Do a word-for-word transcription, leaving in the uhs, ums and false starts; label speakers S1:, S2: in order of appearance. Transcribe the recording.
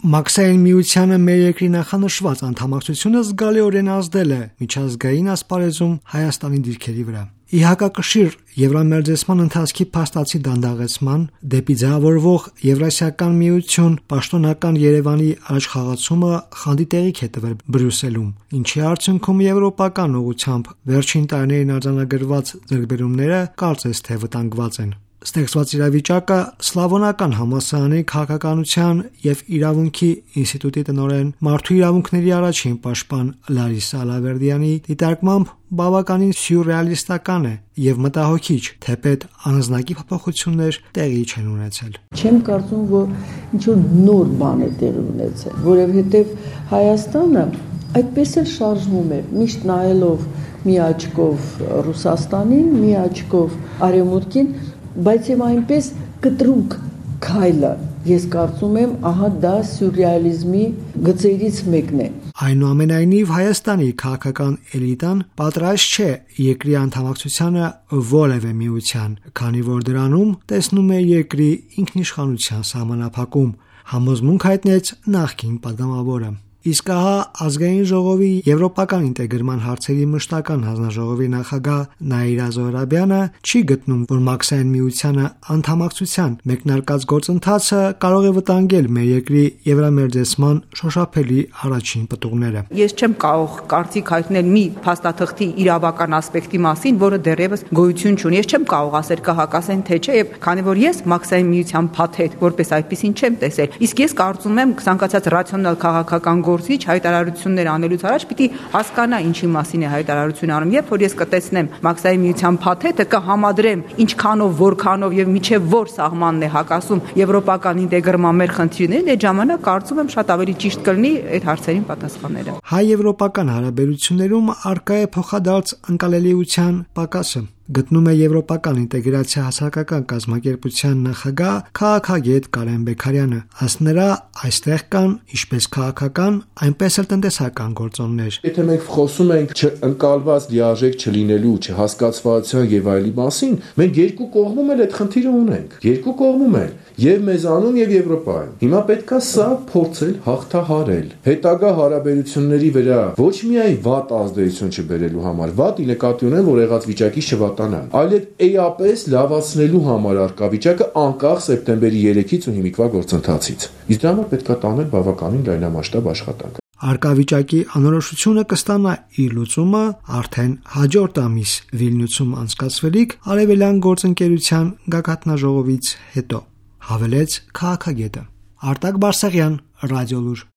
S1: Մաքսային միությանը մեր երկրի նախանշված անդամակցությունը զգալիորեն ազդել է միջազգային ասպարեզում Հայաստանի դիրքերի վրա։ Ի հակակշիռ եվրամերձեցման ընթացքի փաստացի դանդաղեցման դեպի ձևավորվող Եվրասիական միություն պաշտոնական Երևանի առաջխաղացումը խանդի տեղիք է տվել Բրյուսելում, ինչի արդյունքում եվրոպական ուղղությամբ վերջին տարիներին արձանագրված ձեռքբերումները կարծես թե վտանգված են։ Ստեղծված իրավիճակը Սլավոնական համալսարանի քաղաքականության և իրավունքի ինստիտուտի տնօրեն, մարդու իրավունքների առաջին պաշտպան Լարիսա Ալավերդյանի դիտարկմամբ բավականին սյուրռեալիստական է և մտահոգիչ, թեպետ անձնակի փոփոխություններ տեղի չեն ունեցել։
S2: Չեմ կարծում, որ ինչ-որ նոր բան է տեղի ունեցել, որովհետև Հայաստանը այդպես էլ շարժվում է, միշտ նայելով մի աչքով Ռուսաստանին, մի աչքով Արևմուտքին, բայց եւ այնպես կտրուկ քայլը, ես կարծում եմ, ահա դա սյուրռեալիզմի գծերից մեկն է։
S1: Այնուամենայնիվ Հայաստանի քաղաքական էլիտան պատրաստ չէ երկրի անդամակցությանը որևէ միության, քանի որ դրանում տեսնում է երկրի ինքնիշխանության սահմանափակում, համոզմունք հայտնեց նախկին պատգամավորը։ Իսկ ահա Ազգային ժողովի եվրոպական ինտեգրման հարցերի մշտական հանձնաժողովի նախագահ Նաիրա Զոհրաբյանը չի գտնում, որ Մաքսային միությանը անդամակցության մեկնարկած գործընթացը կարող է վտանգել մեր երկրի եվրամերձեցման շոշափելի առաջին պտուղները։
S3: Ես չեմ կարող կարծիք հայտնել մի փաստաթղթի իրավական ասպեկտի մասին, որը դեռևս գոյություն չունի։ Ես չեմ կարող ասել կա հակասեն թե չէ, եւ քանի որ ես Մաքսային միության փաթեթ որպես այդպեսին չեմ տեսել։ Իսկ ես կարծում եմ ցանկացած ռացիոնալ քաղաքական գործիչ հայտարարություններ անելուց առաջ պիտի հասկանա ինչի մասին է հայտարարություն անում, երբ որ ես կտեսնեմ Մաքսային միության փաթեթը, կհամադրեմ ինչքանով, որքանով եւ միջև որ սահմանն է հակասում եվրոպական ինտեգրման մեր խնդիրներին, այդ ժամանակ կարծում եմ շատ ավելի ճիշտ կլինի այդ հարցերին պատասխանելը։
S1: Հայ-եվրոպական հարաբերություններում առկա է փոխադարձ ընկալելիության պակասը։ Գտնում է եվրոպական ինտեգրացիա հասարակական կազմակերպության նախագահ քաղաքագետ Կարեն Բեքարյանը։ Ըստ նրա, այստեղ կան ինչպես քաղաքական, այնպես էլ տնտեսական գործոններ։
S4: Եթե մենք խոսում ենք չընկալված լիարժեք չլինելու, չհասկացվածության եւ այլի մասին, մենք երկու կողմում էլ այդ խնդիրը ունենք։ Երկու կողմում էլ եւ մեզանում եւ Եվրոպայում։ Հիմա պետքա սա փորձել հաղթահարել։ Հետագա հարաբերությունների վրա ոչ միայն վատ ազդեցություն չբերելու համար, վատ ի նկատի ունեն, որ եղած վիճակից չվատանան, այլև էապես լավացնելու համար արկա վիճակը անկախ սեպտեմբերի երեքից ու հիմիկվա գործընթացից։ Իսկ դրա համար պետքա տանել բավականին լայնամասշտաբ աշխատանք։
S1: Արկավիճակի անորոշությունը կստանա իր լուծումը արդեն հաջորդ ամիս Վիլնյուսում անցկացվելիք Արևելյան գործընկերության գագաթնաժողովից հետո, հավելեց քաղաքագետը։ Արտակ Բարսեղյան, Ռադիոլուր։